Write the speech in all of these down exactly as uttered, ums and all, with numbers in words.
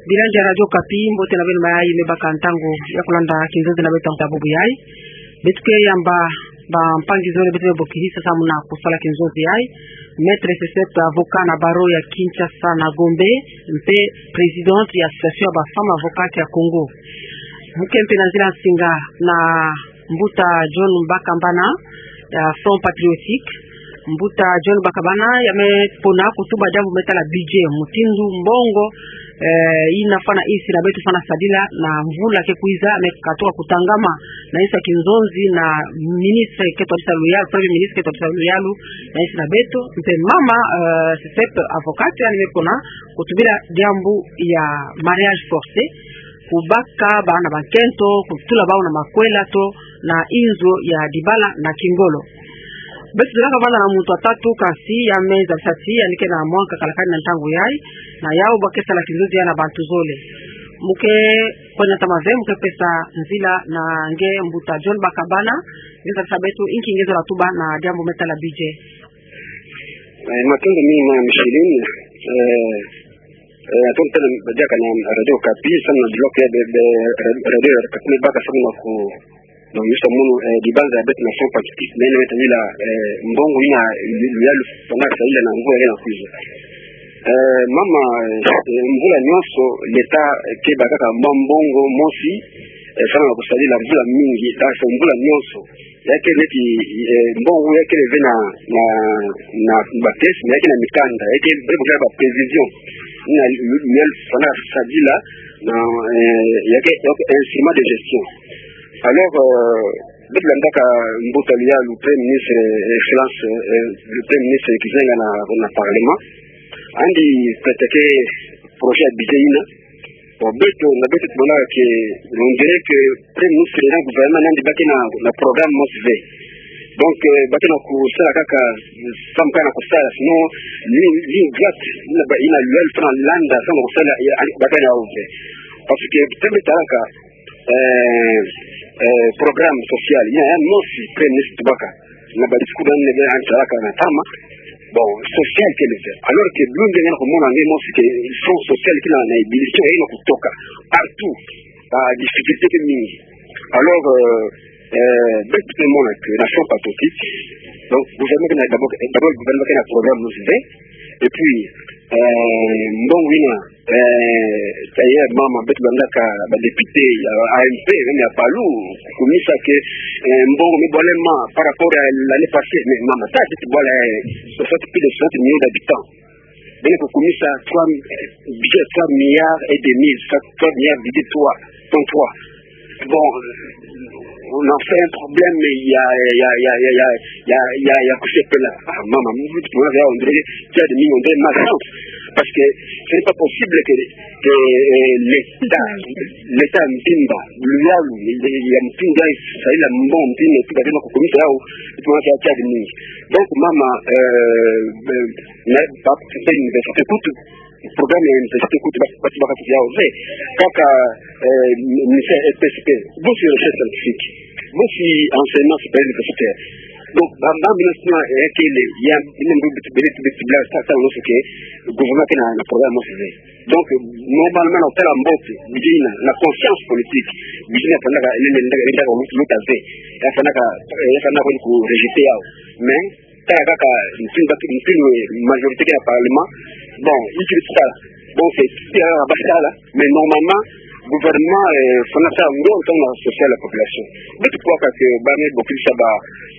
Bilandi ya Radio Okapi, mbote na beno mayai me baka ntangu ya kulanda kinzonzi na beto nta bubu yai. Beto ke yamba bampangi-nzole beto me bokilisa samu na kusala kinzonzi yai. Maître Sesep, avocat na barreau ya Kinshasa na Gombe, mpe président ya association ya ba femmes avocates ya Congo. Mu ke mpe na nzila nsinga na Mbuta John Bakambana ya Front Patriotique. Mbuta John Bakambana ya me pona kutuba diambu me tala budget, mutindu mbongo, eh, ina fwana insi na beto fwana sadila na mvula ke kwiza, me katuka kutangama na insi ya kinzonzi na ministre ke twadisa luyalu, premier ministre ke twadisa luyalu na insi na beto. Mpe mama, eh, Sesep, avocate, ya ni me pona kutubila diambu ya mariage forcé, kubaka bana ba nkento, kutula bau na makwela to na inzo ya dibala na kingolo. Beto zolaka vanda na muntu wa tatu, kansi ya me zabisa ti yandi ke na mwa nkakalakani na ntangu yai, na yau bwa ke sala kinzonzi yai na bantu zole. Mu ke kwenda ntama ve, mu ke pesa nzila na nge Mbuta John Bakambana, nge zabisa beto inki nge zola tuba na diambu me tala budget. Eh, matondo mingi mama Micheline. Eh, eh, matondo tena badiaka na Radio Okapi, samu na bloc ya be, be, Radio Okapi me baka samu na ku, na yusula munu, eh, dibanza ya beto na Front Patriotique, me na me tangila, eh, mbongo ina, luyalu fwana sadila na mvula ina kwiza. Eh, mama, eh, mvula nyonso, l'État, eh, ke bakaka mwa mbongo mosi, eh, samu na kusadila mvula mingi, eh, mvula nyonso. Ya ke neti, eh, mbongo ya ke ve na, na, na ba caisse, mais ya ke na mikanda, ya ke bele bokila ba prévision. Na, ya fwana sadila, na, eh, ya ke, ya ke instrument de gestion. Alors, euh, beto landaka mbuta luyalu, le Premier ministre, eh, Excellence, eh, le Premier ministre kizenga na, na Parlement. Yandi présenté projet ya budget ina. Bon, beto, na beto tumonaka que, on dirait que Premier ministre na gouvernement na yandi ba ke na, na programme mosi ve. Donc, euh, ba ke na kusala kaka, samu kaka na kusala, sinon, ligne, ligne droite, ina ba, ina luyalu fwana landa, samu na kusala, ya, ba ke na yau ve. Parce que, teme talaka, euh, euh, programme social, ina ya mosi Premier ministre tubaka na ba discours na yandi, yandi salaka na ntama. Bon, social kele ve. Alors que bino nge na kumona nge mosi que fonds social kina na ébullition, ina kutoka partout. Ba difficulté ke mingi. Alors, euh, euh, beto tumona que na Front Patriotique, donc, gouvernement kina d'abord, d'abord gouvernement kina programme mosi ve, et puis, euh, mbongo ina, euh, d'ailleurs, mama, beto landaka ba député ya A M P, même ya Palu, kukumisa que, euh, mbongo me bwalema par rapport à l'année passée, mais mama, ta ti bwala, euh, soixante, plus de soixante millions d'habitants. Beno kukumisa trois, euh, budget trois milliards et demi, trois milliards budget trois, point trois. Bon, on a fait un problème, ya, ya, ya kusepela. Ah, mama, mu tu mona ya, on dirait, tiari mingi, on dirait malchance. Parce que ce n'est pas possible que, que, euh, l'État, l'État mbimba, luyalu, ya mbimba, ça, il a mbongo mbimba, tu vas dire, kukumisa yau, tu mona ya tiari mingi. Donc, mama, euh, euh, na, ba, c'est université, kutu, programme ya université kutu, ba, ba, ba, ya, ve. Kaka, euh, ministère R P S P, bourse de recherche scientifique, bourse enseignement supérieur universitaire. Donc, ba, ba, ministère, eh, kele, ya, ina mbo, bit, bit, bit, bla, sa, sa, no, ce que, gouvernement ke na, na programme mosi ve. Donc, normalement, na kutala mbote, budget ina, na conscience politique, budget ina fwanaka, ina, ina, ina, ina, ina, ya fwanaka, eh, ya fwanaka ku rejeter yau. Mais, tala kaka, mutindu, mutindu majorité ke na Parlement. Bon, iti sala. Bon, c'est, c'est, euh, ba sala. Mais normalement, gouvernement, euh, fwana sala ngolo samu na social la population. Beto kuwaka que ba me bokilisa ba,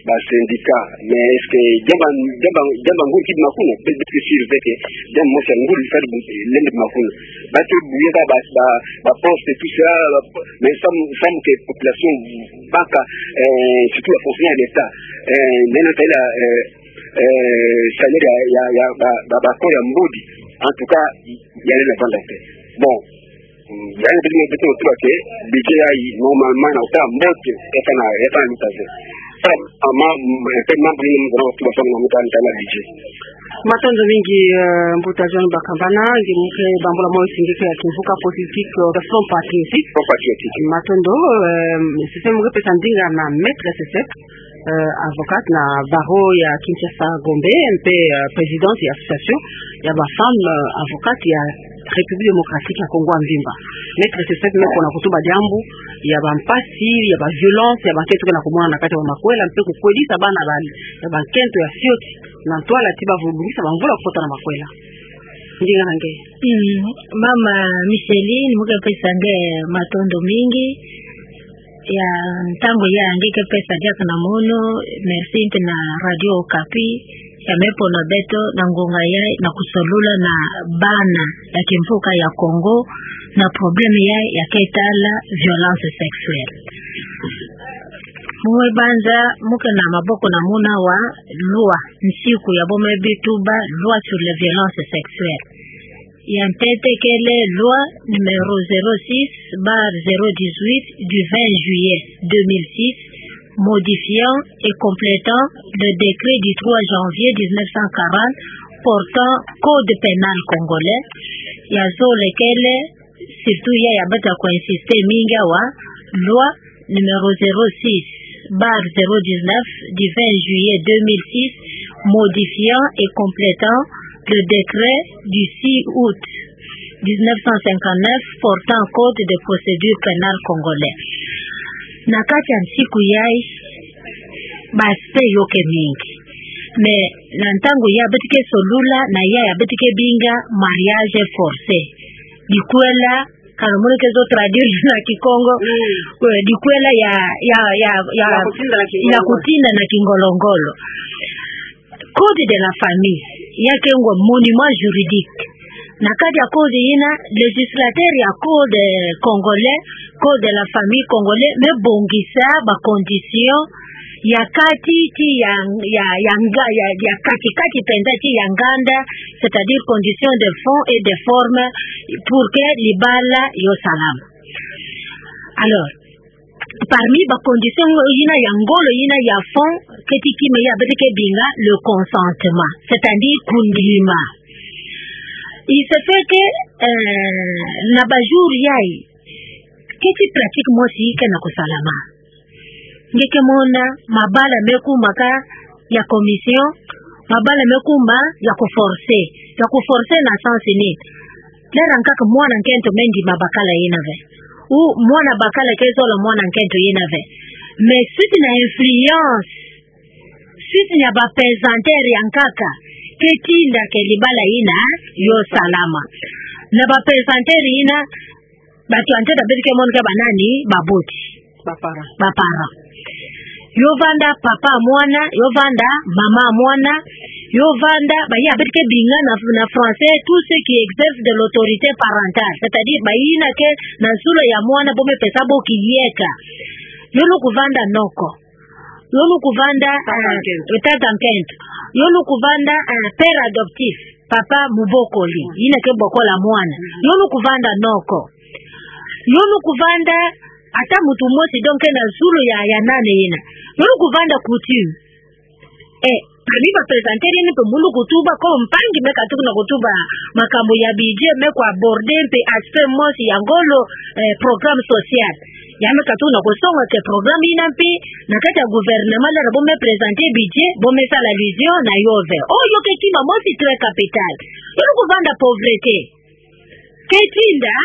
ba syndicat. Mais est-ce que, diamba, diamba, diamba ngolo kidi makuna, beto, beto ke sûr ve que, diamba mosi ngolo fadi bu, lendi makuna. Ba ke buyaka ba, ba, ba poste, tout ça, ba, mais samu, samu que population baka, euh, surtout ba fonctionnaires de l'État. Euh, nena tela, euh, euh, salaire ya, ya, ya, ba, ba, ba corps ya mbodi. En tout cas, ya lenda vanda te. Bon, ya lenda beto, beto, beto, que budget ya, normalement, na kutala mbote, ya fwana, ya fwana luta ve. Sa, ama, mpe mambu ni mzana watu ba fwana na muta ntala budget. Matondo mingi, euh, mbuta John Bakambana, nge mu ke bambula mwa nsinga ya kimvuka politique, euh, Front Patriotique. Front Patriotique. Matondo, euh, sisi mu ke pesa ndinga na Maître Sesep, euh, avocate na barreau ya Kinshasa Gombe, mpe, euh, présidente ya association ya ba femmes, euh, avocates ya République Démocratique ya Congo ya mvimba. Maître Joseph me pona kutuba diambu ya bampasi, ya baviolence, ya bankento ke na kumona na kati ya bamakwela, mpe kukwelisa bana ba, ya bankento ya fioti na ntwala ti bavulu bongisa bamvula kufota na makwela. Ndinga na nge. Mm, Mama Micheline, mo ke pesa nge matondo mingi. Ya ntangu ya nge ke pesa diaka na mono, merci mpe na Radio Okapi, ya me pona beto na ngonga ya, na kusolula na bana ya kimvuka ya Congo, na problème ya, ya ke tala violence sexuelle. Mo me banza, mo ke na maboko na muna wa loi, nsiku ya bo me bi tuba, loi sur les violences sexuelles. Ya ntete kele loi numéro zéro six barre zéro dix-huit du vingt juillet deux mille six, modifiant et complétant le décret du trois janvier dix-neuf cent quarante portant code pénal congolais. Ya zole kele, surtout ya, ya bata ko insister mingi awa, loi numéro zéro six barre zéro dix-neuf du vingt juillet deux mille six, modifiant et complétant le décret du six août dix-neuf cent cinquante-neuf portant code de procédure pénale congolais. Na kati ya nsiku yai, ba aspect yo ke mingi. Mais na ntangu ya beto ke solula na ya, ya beto ke binga mariage forcé. Dikwela, kana mono ke zo traduire na Kikongo. Mm. Kwe, dikwela ya, ya, ya, ya, ya kutinda na Kingolongolo. Ya kutinda na Kingolongolo. Code de la famille, ya ke ngo monument juridique. Na kati ya code yina, législateur ya code congolais, code de la famille congolais, me bongisa ba conditions ya kati ti ya, ya, ya nga-, ya, ya kati kati mpenza ti ya nganda, c'est-à-dire conditions de fond et de forme pour que libala yo salama. Alors, parmi ba conditions yina ya ngolo, yina ya fond, keti kima ya beto ke binga le consentement, c'est-à-dire kundima. Il se fait que, euh, na ba jours yai, keti pratique mosi ke na kusalama. Nge ke mona, mabala me kuma ka ya commission, mabala me kuma ya kuforcer. Ya kuforcer na sens nini? Lera nkaka mwana nkento me ndima bakala yina ve. Ou mwana bakala ke zola mwana nkento yina ve. Mais suite na influence, suite na ba pesanteur ya nkaka, ke tinda ke libala yina yo salama. Na ba pesanteur yina, bato ya ntete beto ke mona ke ba nani? Baboti. Ba parents. Ba parents. Yo vanda papa mwana, yo vanda mama mwana, yo vanda, ba ya beto ke binga na, na français, tous ceux qui exercent de l'autorité parentale, c'est-à-dire ba yina ke na zulu ya mwana, bo me pesa bo kiyeka. Yo lukuvanda noko. Yo lukuvanda, tata, eh, nkento. Tata nkento. Yo lukuvanda, eh, père adoptif, papa mubokoli. Mm. Yina ke bokola mwana. Mm. Yo lukuvanda noko. Yo lukuvanda ata muntu mosi, donc, na zulu ya, ya nani yina. Yo lukuvanda coutume. Eh, ami ba pesanteur yina mpe mu lukutuba, ko mpangi me katuka na kutuba makambu ya budget, me ku aborder mpe aspect mosi ya ngolo, eh, programme social. Ya me katuka na kusonga ke programme yina mpe, na kati ya gouvernement, lera bo me présenter budget, bo me sala allusion na yo ve. Oh, yo ke kima mosi très capital. Yo lukuvanda pauvreté. Ke tinda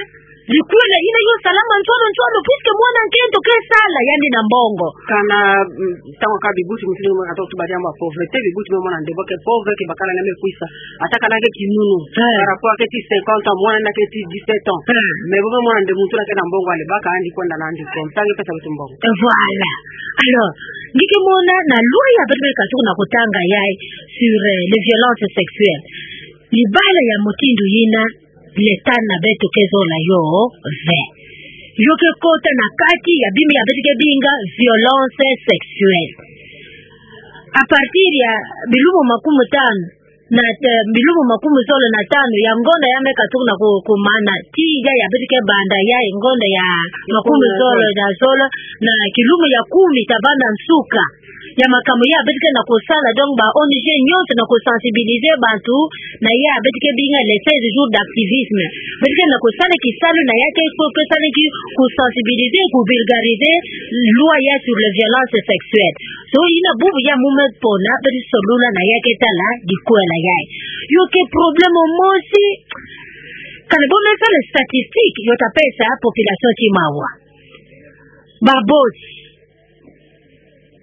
likwela yina yo salama nsoni nsoni, puisque mwana nkento ke sala yandi na mbongo. Kana, mm, ntangu kaka bibuti, mutindu mwana katuka kutuba diambu ya pauvreté, bibuti me mona nde bo ke pauvre, ke bakala na me kwisa. Ata kana ke kinunu. Eh. Par rapport ke ti cinquante ans, mwana na ke ti dix-sept ans. Eh. Mais bo me mona nde muntu na ke na mbongo, ale baka yandi kwenda na yandi comme ça, nge pesa beto mbongo. Eh, voilà. Alors, nge ke mona na loi ya beto me katuka na kutanga yai sur, euh, les violences sexuelles. Libala ya mutindu yina, l'État na beto ke zola yo ve. Yo ke kota na kati ya bima ya beto ke binga violence sexuelle. À partir ya bilumu makumtanu, na, eh, bilumu makumzole na tanu ya ngonda ya me katuka na ku-, kumana, tii ya, ya beto ke banda ya ngonda ya makumzole na zole, na kilumu ya kumi ta banda nsuka. Ya makambu ya beto ke na kusala, donc ba O N G nyonso na kusensibiliser bantu, na ya beto ke binga les seize jours d'activisme. Beto ke na kusala kisalu na ya ke ko-, ke sala ki kusensibiliser, kuvulgariser loi ya sur les violences sexuelles. So, yina bubu ya mu me pona, beto solula na ya ke tala likwela ya. Yo ke problème mosi, Kana bo me sala statistique, yo ta pesa population ti mawa. Baboti.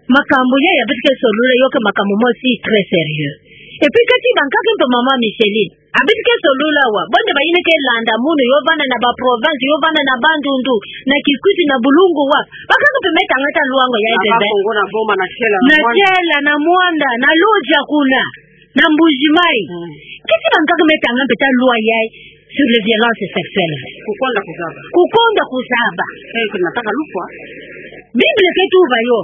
Makambu ya, ya beto ke solula, yo ke makambu mosi très sérieux. Et puis, kati bangaka mpe mama Micheline. A beto ke solula wa. Bo nde bayina ke landa munu, yo vanda na ba province, yo vanda na Bandundu, na Kikwit, na Bulungu wa. Bangaka mpe me tanga ata lwa ngo ya Na ebe. Bakongo, na Boma, na Tiela, na Na Muanda. Tiela, na Muanda, na Lodja kuna. Na Mbuji-Mayi. Mm. Keti bangaka me tanga mpe ata lwa yayi sur les violences sexuelles. Kukonda kuzaba. Kukonda kuzaba. Eh, ke nataka lufwa. Bible ke tuba yo.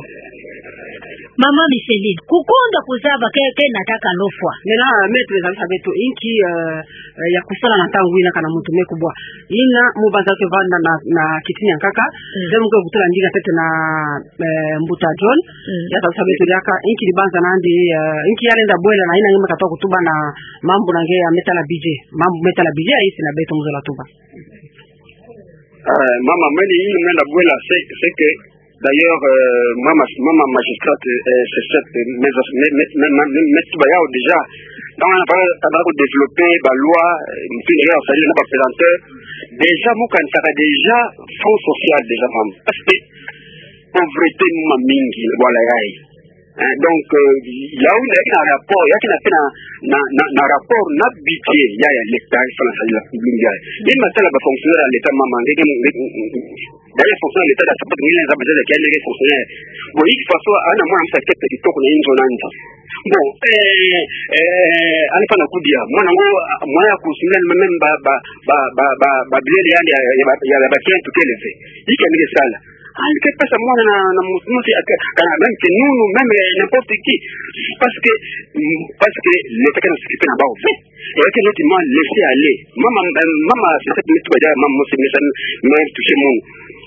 Mama Micheline, kukonda kuzaba ke, ke nataka lufwa. Mena, maître, zalisa beto inki, euh, euh, ya kusala na ntangu ina kana muntu me kubwa. Ina, mu banza ke vanda na, na kiti niankaka, Mm. nde mu ke kutula ndinga ntete na eh, Mbuta John, Mm. ya zalisa beto diaka, inki dibanza nandi, eh, inki ya lenda bwela na ina nge me katuka kutuba na mambu na nge ya me tala budget. Mambu me tala budget, ayisi na beto mu zola tuba. Eh, mama, meni ina me lenda bwela, c'est, c'est que, d'ailleurs, euh, mama, mama magistrate, euh, c'est cette, euh, mais, mais, mais, mais, mais, mais, tuba yao déjà. Donc, on a pas, on a développé, ba loi, euh, puis d'ailleurs, ça dit, on a pas présenté. Déjà, mu kanisaka déjà, fonds social, déjà, mama. Parce que, pauvreté mama mingi, voilà, yayi. Hein, donc, euh, ya una, ya kina rapport, ya kina mpe na, na, na, na rapport, na budget, ya, ya l'État, il faut la salir la public, ya. Ye matala ba fonctionnaire ya l'État, mama, nge, nge, nge, nge, d'ailleurs, fonctionnaire ya l'État, da sapatu, nge, nge, nge, fonctionnaire. Bon, il faut soit, ana mwana msa kepe kitoko na inzo na nza. Bon, eh, eh, ana pa na kudia, mwana ngo, mwana ya kusumela même ba, ba, ba bilele yandi ya, ya, ya, ya, ya ba kento kele ve. Ika nge sala. Ah, il peut pas mwana na, na mutu, mutu, aka, kana même que nous, nous, même, euh, n'importe qui. Parce que, mm, parce que l'État kana s'occuper na bao. Et que l'autre m'a laissé aller. Mama, euh, mama, c'est cette minute, mama, moi, c'est méchant, mais tout ce monde.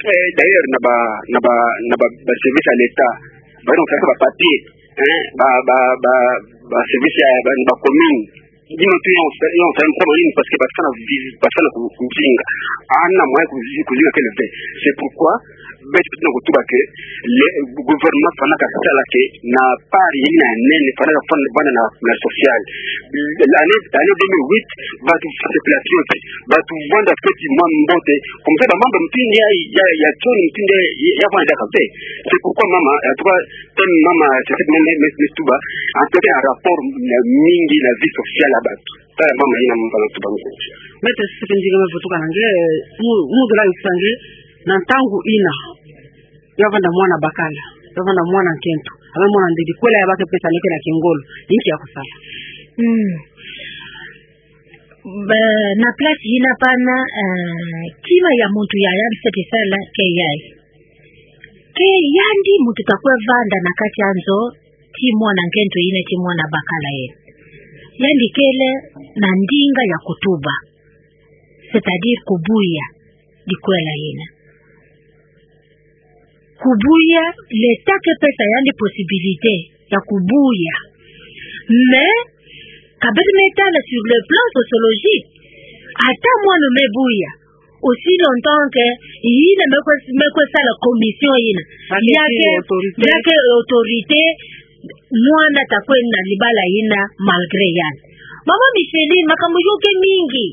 Euh, d'ailleurs, na ba, na ba, na ba, ba service à l'État. Ba, donc, ça, ba papier, hein, ba, ba, ba, ba service ya, ba, ba commune. Dino tu yon, yon, yon, parce que ba fana vivi, ba fana ku-, kuzinga. Ana mwa kuzi-, kuzinga kele ve. C'est pourquoi, beto tuna kutuba que le gouvernement fana kasala que na part yina nene, fana, fana, fana na, na social. L'année, l'année deux mille huit, batu se plateau, batu vanda feti mwa mbote. Comme ça, ba mamba mutindi ya, ya, ya toni mutindi ya, ya vanda kave. C'est pourquoi mama, en tout cas, thème mama, c'est cette même, même, même tuba. En tout cas, un rapport, na mingi na vie sociale ya batu. Tala mama yina mamba na tuba mama. Maître, c'est que ndinga me vutuka na nge, mu, mu zola yisa nge, na ntangu ina. Ya vanda mwana bakala, ya vanda mwana nkento, ame mwana ndedi, kwela ya bake pesa neke na kingolo, inki ya kusala. Mm. Ba, na place yina pana, eh, kima ya muntu ya yandi seti sala ke yayi. Ke yandi muntu ta kwe vanda na kati ya nzo, ti mwana nkento yina ti mwana bakala yina. Yandi kele na ndinga ya kutuba. C'est-à-dire kubuya. Dikwela yina. Kubuya, l'État ke pesa yandi possibilité ya kubuya. Mais, ka beto me tala sur le plan sociologique, ata mwana me buya, aussi longtemps que yina me kwe, me kwe sala commission yina. Yake, yake autorité. Yake autorité, mwana ta kwe na libala yina malgré yandi. Mama Micheline, makambu yo ke mingi.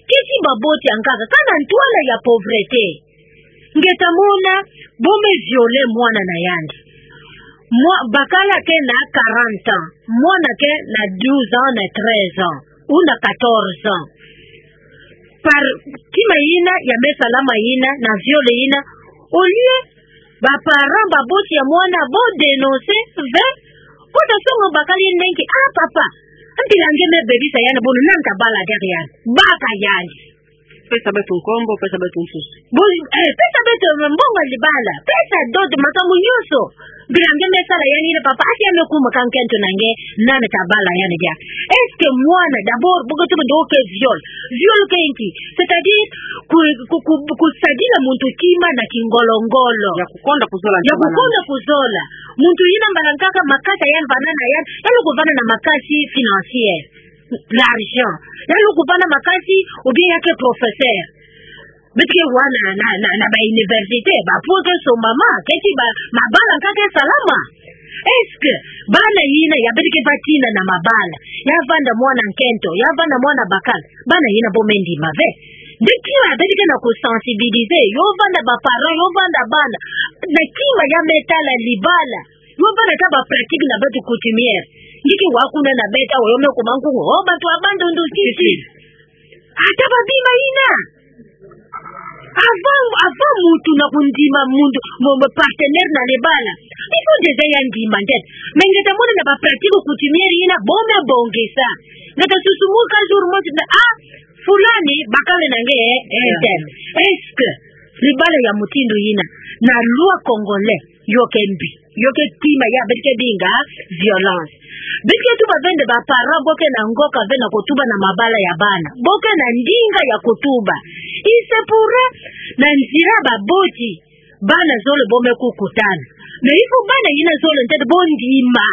Keti baboti ankaka, kana ntwala ya pauvreté. Nge ta mona, bo me violer mwana na yandi. Mwa-, bakala ke na quarante ans, mwana ke na douze ans, na treize ans, ou na quatorze ans. Par kima yina, ya me salama yina, na viol yina, au lieu, ba parents, baboti ya mwana, bo dénoncer, ve, ko ta songo bakala yina nki, ah, papa, mpila nge me bebisa yandi, bono nani ta bala diaka yandi, baka yandi. Pesa beto nkombo, pesa beto nsusu. Bo, eh, pesa beto mbongo ya libala, pesa dot, makambu nyonso. Mpila nge me sala yandi yina papa, ati ya me kuma ka nkento na nge, nani ta bala yandi diaka. Est-ce que mwana, d'abord, bo ko tuba ndo ke viol. Viol ke nki? C'est-à-dire, ku, ku, ku, kusadila muntu kima na kingolo-ngolo. Ya kukonda kuzola. Ya kukonda kuzola. Muntu yina mbala nkaka makasa yandi vanda na yandi, ya lukuvana na makasi financier. L'argent. Ya lukuvana makasi, ou bien ya ke professeur. Beto ke wa na, na, na, na ba université, ba po ke so mama, keti ba, mabala nkaka ke salama. Est-ce que, bana yina, ya beto ke va tina na mabala, ya vanda mwana nkento, ya vanda mwana bakala, bana yina bo me ndima ve. Biki wa, biki na ko sensibiliser, yo vanda ba parents, yo vanda bana. Na kima ya me tala libala. Yo vanda ta ba pratique na beto coutumière. Niki wa kuna na beto, yo me kuma nkungu, oh, bantu wa bantu ndu kisi. Ata ba bima ina. Avant, avant muntu na kundima muntu, mo, mo partenaire na libala. Il faut déjà ya ndima nde. Mais nge ta mona na ba pratique coutumière ina, bon, me bongisa. Nge ta susumuka jour mosi na, ah, fulani, bakala na nge, eh, eh, tel. Est-ce que libala ya mutindu ina, na loi congolais, yo ke mbi, yo ke kima ya, beto ke binga violence. Beto ke tuba ve nde ba parents, bo ke na ngoka ve na ko tuba na mabala ya bana. Bo ke na ndinga ya ko tuba. Il se pourrait, na nzila ba boti, bana zole bo me kukutana. Mais il faut bana ina zole ntete bo ndima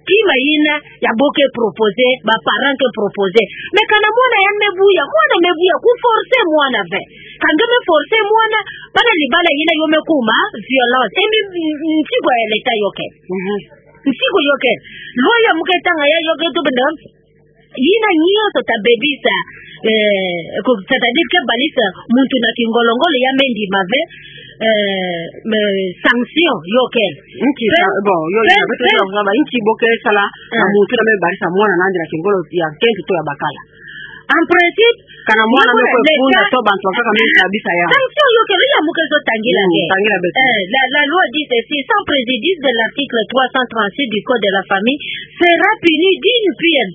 kima ina ya bo ke proposer, ba parents ke proposer. Mais kana mwana ya me buya, mwana me buya, ku forcer mwana ve. Ka nge me forcer mwana, bana libala ina yo me kuma violence. E mi, m-, m-, nsigo ya l'État yo ke. Mhm. Nsigo yo ke. Loi ya mu ke tanga ya yo ke tuba nde, ina nyonso ta bebisa, eh, ko, c'est-à-dire ke balisa muntu na kingolo-ngolo ya me ndima ve, eh, me sanction yo ke. Nki, pe-, sa-, bon, yo, pe-, yo, pe-, pe-, ba, nki bo ke sala na, ah, muntu na me balisa mwana na andi na kingolo ya nkento to ya bakala. En principe, kana mwana yo me ko funda to bantu bakaka me kabisa ya. Sanction yo ke, ya mu ke zo tangila, mm, ke. Tangila beto. Eh, la, la loi dit ceci, sans préjudice de l'article trois cent trente-six du Code de la famille, sera puni d'une peine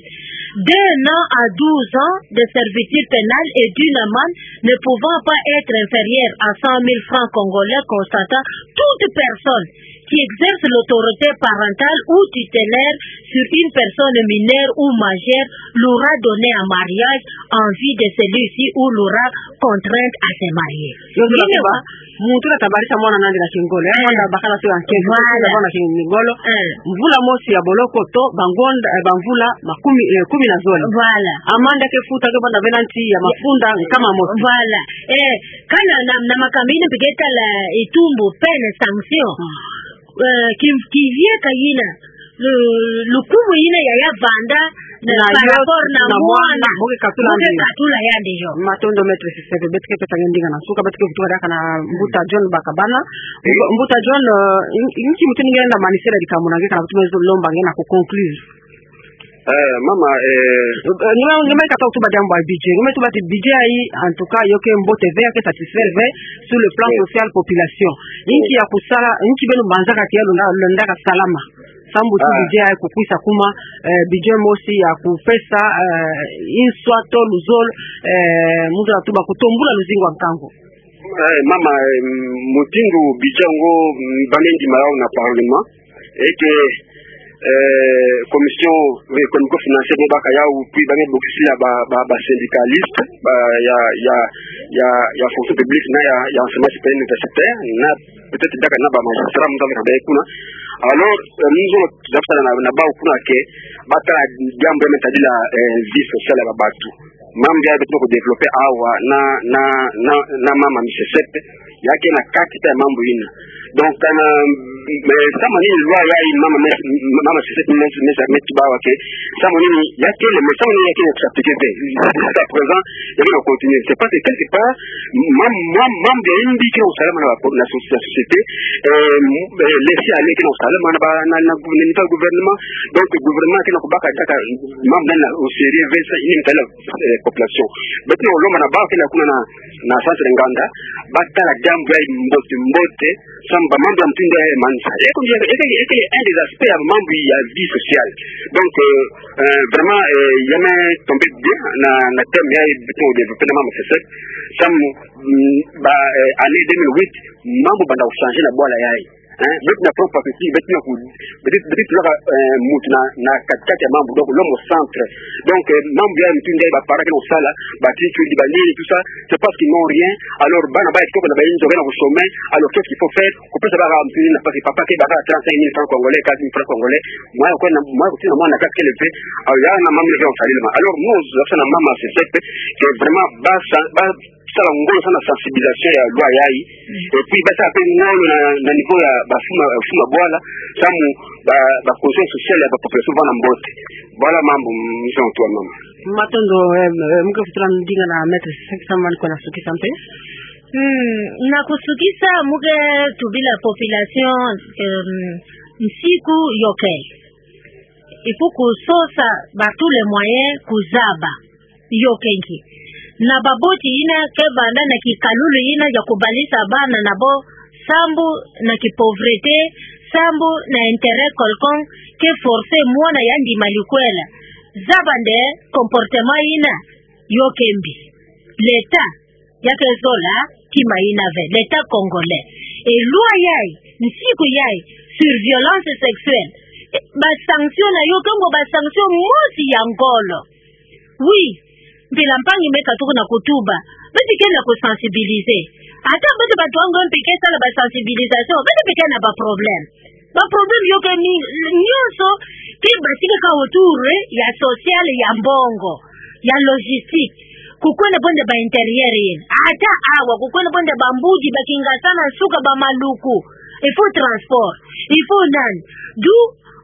d'un an à douze ans de servitude pénale et d'une amende ne pouvant pas être inférieure à cent mille francs congolais, constatant toute personne qui exerce l'autorité parentale ou tutélaire sur une personne mineure ou majeure l'aura donné en mariage en vue de celui-ci ou l'aura contrainte à se marier. Yo, yo, yo. Muntu na tabarisa mwana na andi na kingolo, eh, eh, mwana bakala to ya nkento, voilà, mwana na kingolo. Eh. Mvula mosi ya boloko to, ba ngonda, eh, ba mvula makumi, eh, kumi na zole. Voilà. Amande ke futa ke banda ve na nti ya mafunda nkama mosi. Voilà. Eh, kana na, na makamina mbi ke tala, eh, itumbu, peine, sanction. Mm. Eh, ki, ki vie ka ina. Lu-, lukumu ina ya ya vanda na, na par rapport na mwana. Bo ke katula yandi. Bo ke katula yandi yo. Matondo Maître Sisebe, beto ke pesa nge ndinga na nsuka, beto ke vutuka diaka na Mbuta John Bakabana. Mbu-, Mbuta John, eh, in-, inki mutindu nge lenda manisela dikambu na nge kana kutu me zo lomba nge na ku conclure. Eh, mama, eh, eh, nge me, nge me kata kutuba diambu ya budget. Nge me tuba ti budget yayi, en tout cas, yo ke mbote ve, yo ke satisfaire ve, sur le plan social, population. Inki ya kusala, inki beno banzaka ti ya lenda, lenda ka salama. Sambu ti budget ya kukwisa kuma, eh, budget mosi ya kupesa, eh, inswa to luzolo, eh, mu zola tuba kutombula luzingu ya nkangu. Eh, mama, eh, mutindu budget ngo, mm, ba me ndima yau na parlement, et que, eh, commission économico-financière me baka yau, puis ba me bokisila ba, ba, ba syndicaliste, ba ya, ya, ya, ya fonction publique na ya, ya enseignement supérieur universitaire, na peut-être diaka na ba magistrat, mu zola meka bê kuna. Alors, eh, mu zola zabisa na, na bau kuna ke, ba tala diambu ya me tadila, eh, vie sociale ya ba bantu. Mambu ya beto na ku développer awa na, na, na, na mama Misesepe, ya ke na kati ta mambu ina. Donc, kana, eh, samu nini loi yayi mama, mama Misesepe me, me, me tuba wa ke, samu nini ya ke le, mais samu nini ya ke na ku s'appliquer ve. Jusqu'à présent, ya ke na continuer. C'est parce que quelque part, mam-, mam-, mambu ya mbi ke na kusalama na la, la so-, la société, eh, m-, eh, laisser-aller ke na kusalama na ba, na, na gouvernement, na gouvernement. Donc, gouvernement ke na kubaka diaka mambu nana au sérieux ve sa, ini tala, eh, population. Beto na kulomba na bau ke na kuna na, na centre nganda, ba tala diambu ya mbote, mbote, samu ba mambu ya mutindu ya manisa. Eke, eke, eke un des aspects ya mambu ya vie sociale. Donc, euh, euh, vraiment, euh, ya me tomber bien na, na thème yayi beto na développer na mama Misesepe. Samu, mm, ba, euh, année deux mille huit, mambu banda kuchanger na bwala yayi. Hein, beto na prendre perspective, beto na ku, beto, beto tulaka, euh, mutu na, na kati-kati ya mambu, donc l'homme au centre. Donc, euh, mambu ya mutindu ya ba parents ke na kusala, ba tituli, ba nini, tout ça, c'est parce qu'ils n'ont rien. Alors, bana bayi kitoko na ba inzo ke na ku chômer. Alors, qu'est-ce qu'il faut faire? Kupesa baka mutindu na pasi papa ke baka trente-cinq mille francs congolais, quinze mille francs congolais. Mwa ko na, mwa ko tina mwana kaka ke élevé. Alors, ya na mambu ke na kusalama. Alors, nous, ça na mama Misesepe, c'est vraiment ba sa, ba sala ngolo sana sensibilisation ya loi yayi. Mm. Et puis, ba sala pe ngolo na, na niveau ya ba fuma, fuma bwala, samu ba, ba conscience sociale ya ba population vanda mbote. Voilà mambu, mm, misa mutu wa mama. Matondo, eh, eh, muke futu la ndinga na maître Seki Samani ko na sukisa mpe. Hmm, na kusukisa muke tubila population, em, nsiku yoke. Il faut kusosa ba tous les moyens kuzaba. Yoke nki. Na baboti yina ke vanda na kikalulu yina ya kubalisa bana na bo sambu na kipauvreté, sambu na intérêt quelconque, ke forcer mwana ya ndima likwela. Zaba nde comportement yina yoke mbi. L'État, ya ke zola kima yina ve, l'État congolais. Et loi yayi, nsiku yayi, sur violence sexuelle. Eh, ba sanction na yo ke ngo ba sanction mosi ya ngolo. Oui, mpila mpangi me katuka na kutuba. Beto ke na kusensibiliser. Ata beto batu ango mpe ke sala ba sensibilisation, beto mpe ke na ba problème. Ba problème yoke ni, nyonso ke batika ka autour, eh, ya social, ya mbongo, ya logistique. Kukwenda bonde ba intérieur yina. Ata awa, kukwenda bonde ba Mbudi, ba Kingasana, suka ba Maluku. Il faut transport. Il faut nani. D'où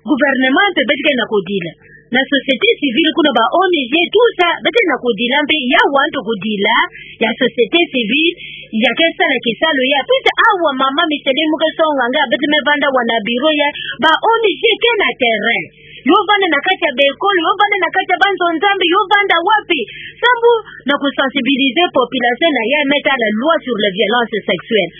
gouvernement mpe beto ke na kudila. Na société civile kuna, ba O N G, tout ça, beto ke na kudila mpe, ya wantu kudila ya société civile, ya ke sala kisalu ya. Puisque awa mama Micheline muke songa nga, beto me vanda awa na bureau ya, ba O N G ke na terrain. Yo vanda na kati ya ba école, yo vanda na kati ya ba nzo Nzambi, yo vanda wapi? Sambu na kusensibiliser population na ya me tala loi sur les violences sexuelles.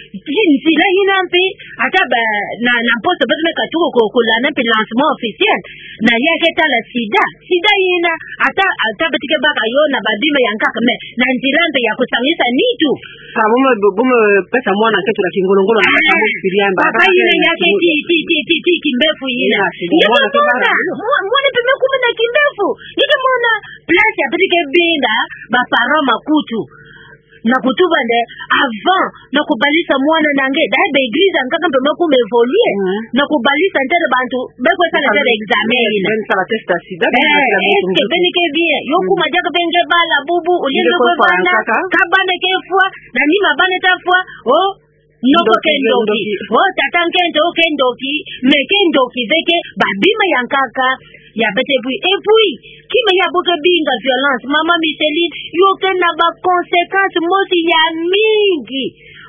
Nzila yina mpe, ata ba, na, na mposo beto me katuka ko, ko landa mpe lancement officiel na ya ke tala sida. Sida yina, ata, ata beto ke baka yo na ba bima ya nkaka, mais na nzila mpe ya kusangisa nitu. Ah, bo me, bo me pesa mwana nkento na kingolo-ngolo na, ah, papa yina ya ke ti, ti, ti, ti, ti, kimbefu yina. Yina, sida, mwana ke baka. Mwana, mwa-, mwana mpe me kuma na kimbefu. Yeke mona place ya beto ke binga ba parents makutu. Na kutuba nde, avant, na kubalisa mwana na nge, d'ailleurs ba église ya nkaka mpe me kuma évoluer. Mhm. Na kubalisa ntete bantu, be kwe sala ntete examen yina. Be sala test ya sida, eh, est-ce que beno ke bien? Yo kuma diaka be nge bala bubu, au lieu de kwe bana, ka bana ke fwa, na nima bana ta fwa, oh, noko ke ndoki. Oh, tata nkento ke ndoki, mais ke ndoki ve ke ba bima ya nkaka ya beto ebwi. Et puis, kima ya bo ke binga violence, mama Micheline, yo ke na ba conséquences mosi ya mingi.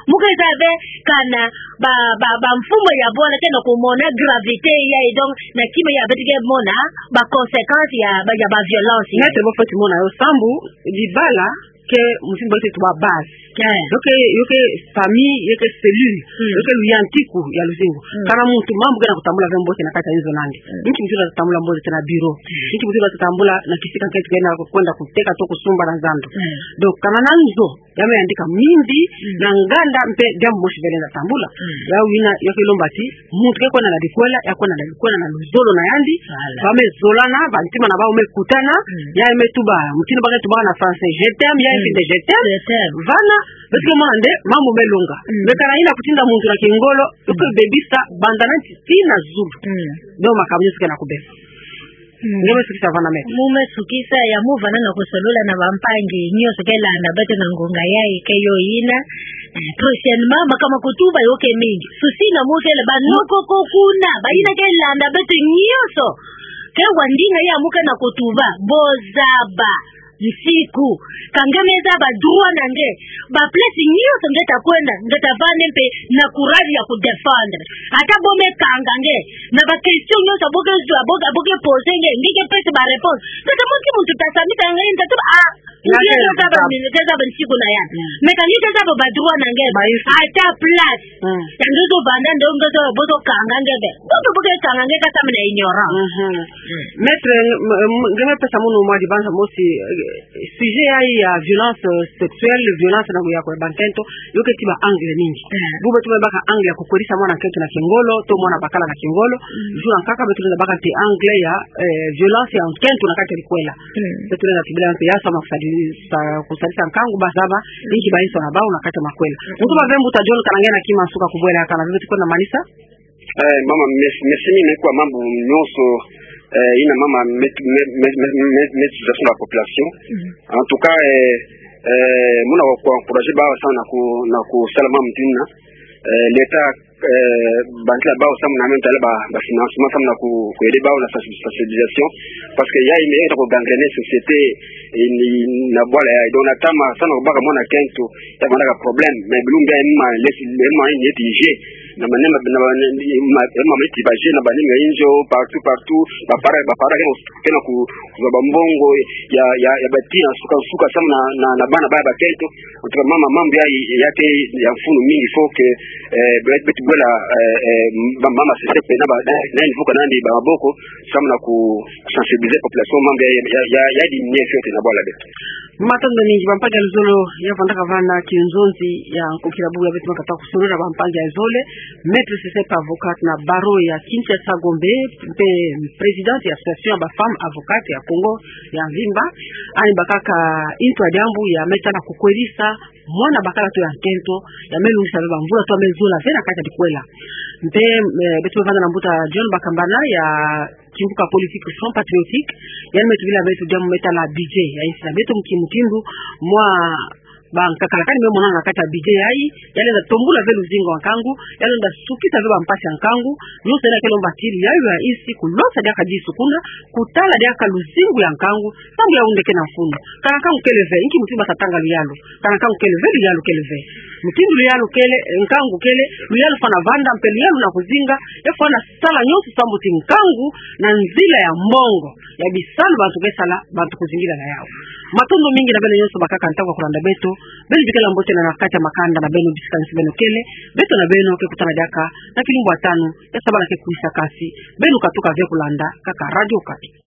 Muke zaba kana ba, ba, ba mfumu ya bwala ke na kumona gravité yayi, donc, na kima ya beto ke mona ba conséquences ya ba, ya ba violence. Maître, bo fweti mona yo sambu, libala ke mutindu ba teti tuba base. Eh. Yo ke, yo ke famille, yo ke cellule, mm, yo ke luyantiku ya luzingu. Mm. Kana muntu mambu ke na kutambula ve mbote na kati ya nzo na nge. Mm. Nki mutindu ta tambula mbote na bureau? Mm. Nki mutindu ta tambula na kisika nkento ke na kwenda kuteka to kusumba na zando. Mm. Donc, kana na nzo, ya me yandika mingi, mm, na nganda mpe diambu mosi ve lenda tambula. Mm. Yawu yina, yo ke lomba ti muntu ke kwenda na likwela, ya kwenda na likwela na luzolo na yandi. Voilà. Ba me zolana, ba ntima na bau me kutana, mm, ya me tuba, mutindu ba ke tuba na français, je t'aime, ya, mm, mpe nde je t'aime. Je t'aime. Vana, beto ke mona nde mambu me longa. Mm. Mais kana yina kutinda muntu na kingolo, yo ke, mm, bebisa banda na nti tii na zulu. Mm. Donc makambu nyonso ke na kubeba. Mm. Nge me sukisa vana, maître. Mu me sukisa ya mu vana na kusolola na bampangi nyonso ke landa beto na ngonga yayi ke yo yina. Eh, prochainement, makambu ma kutuba yo ke mingi. Susi na mu kele ba noko ko kuna, ba yina ke landa beto nyonso. Ke wa ndinga ya mu ke na kutuba, bo zaba nsiku. Ka nge me zaba droit na nge. Ba place nyonso nge ta kwenda, nge ta vanda mpe na courage ya kudéfendre. Ata bo me kanga nge na ba question nyonso bo ke zwa, bo ke, bo ke poser nge, nge ke pesa ba réponse. Nge ta mona ti muntu ta samita nge, nge ta tuba, ah, nge ke zaba, nge ke zaba nsiku na ya. Mm. Mais ka nge ke zaba ba droit na nge, ba, ata place. Mm. Ya nge zo vanda, nge zo, bo zo kanga nge be. Bo zo bo ke kanga nge ka samina ignorant. Mhm. Mm. Maître, m-, m-, nge me pesa munu mwa dibanza mosi, eh, sujet yayi ya violence, euh, sexuelle, violence na ya kwe bankento, yo ke tia ba angle mingi. Eh. Bubu beto me baka angle ya kukwelisa mwana nkento na kingolo, to mwana bakala na kingolo, mm, jour ya nkaka beto lenda baka mpe angle ya, eh, violence ya nkento na kati ya likwela. Mm. Beto lenda tubila mpe ya sama kusadisa, kusadisa nkangu ba zaba, mm, inki ba inso na bau na kati ya makwela. Mm. Mutu ba ve mbuta John, kana nge na kima nsuka kubwela, kana ve beto kwenda manisa. Eh, mama, merci, merci mingi kwa mambu nyonso, eh, yina mama met-, met-, met-, met-, met-, metisa sur la population. Mhm. En tout cas, eh, eh, muna wa ku encourager bawu samu na ku-, na kusala mambu tina. Eh, l'État, eh, bantila bawu samu na me ntala ba, ba financement samu na ku, ku aider bawu na sensi-, sensibilisation. Parce que ya ime ya ta ku gangrener société, eh, ni, na bwala ya, donc na tama, samu na ku baka mwana kento, ya bana ka problème, mais bilumbu ya ema, les, ema, ni eti je, na manema, na manema, ema, eti ba je, na banima injo, partout, partout, ba para, ba para, kena ku, kuzaba mbongo, ya, ya, ya batia, suka, suka, samu na, na, na bana ba, ba kento, En tout cas, mambu, mambu ya, ya ke ya mfunu mingi, faut que, eh, be-, beto bwela, eh, eh, ba-, mama sese pe na ba, na, na niveau kanandi ba maboko, samu na ku sensibiliser population, mambu ya, ya, ya, ya diminuer en fait na bwala beto. Matondo mingi, bampangi ya luzolo, ya vandaka vana kinzonzi ya nkokila bubu ya beto ma kata kusololo na bampangi ya zole, Maître Sese pe avocat na barreau ya Kinshasa Gombe, mpe présidente ya Association ya ba femmes avocates ya Congo ya mvimba, ani bakaka into ya diambu ya me tala kukwelisa mwana bakala tu ya nkento, ya me lungisa ve bamvula tu ya me zola ve na kati ya dikwela. Mpe, eh, beto me vanda na mbuta John Bakambana ya kimbuka politique Front Patriotique, yandi me tubila beto diambu me tala budget ya insi na beto, nki mutindu mwa bankakala kani me monana na kati ya budget yayi, ya lenda tombula ve luzingu ya nkangu, ya lenda sukisa ve bampasi ya nkangu, nionso yina ke lomba ti luyayu ya insi kulosa diaka disu kuna, kutala diaka luzingu ya nkangu, samu yawu nde ke na mfunu. Kana nkangu kele ve, nki mutindu bata tanga luyalu? Kana nkangu kele ve, luyalu kele ve. Mutindu luyalu kele, eh, nkangu kele, luyalu fwana vanda, mpe luyalu na kuzinga, ya fwana sala nionso samu ti nkangu na nzila ya mbongo, ya bisalu bantu ke sala, bantu kuzingila na yawu. Matondo mingi na beno nionso bakaka ntangu ya kulanda beto, beno bikala mbote na kati ya makanda na beno, bisika nionso beno kele, beto na beno ke kutana diaka na kilumbu ya tanu ya sabala ke kwisa, kasi beno katuka ve kulanda kaka Radio Okapi.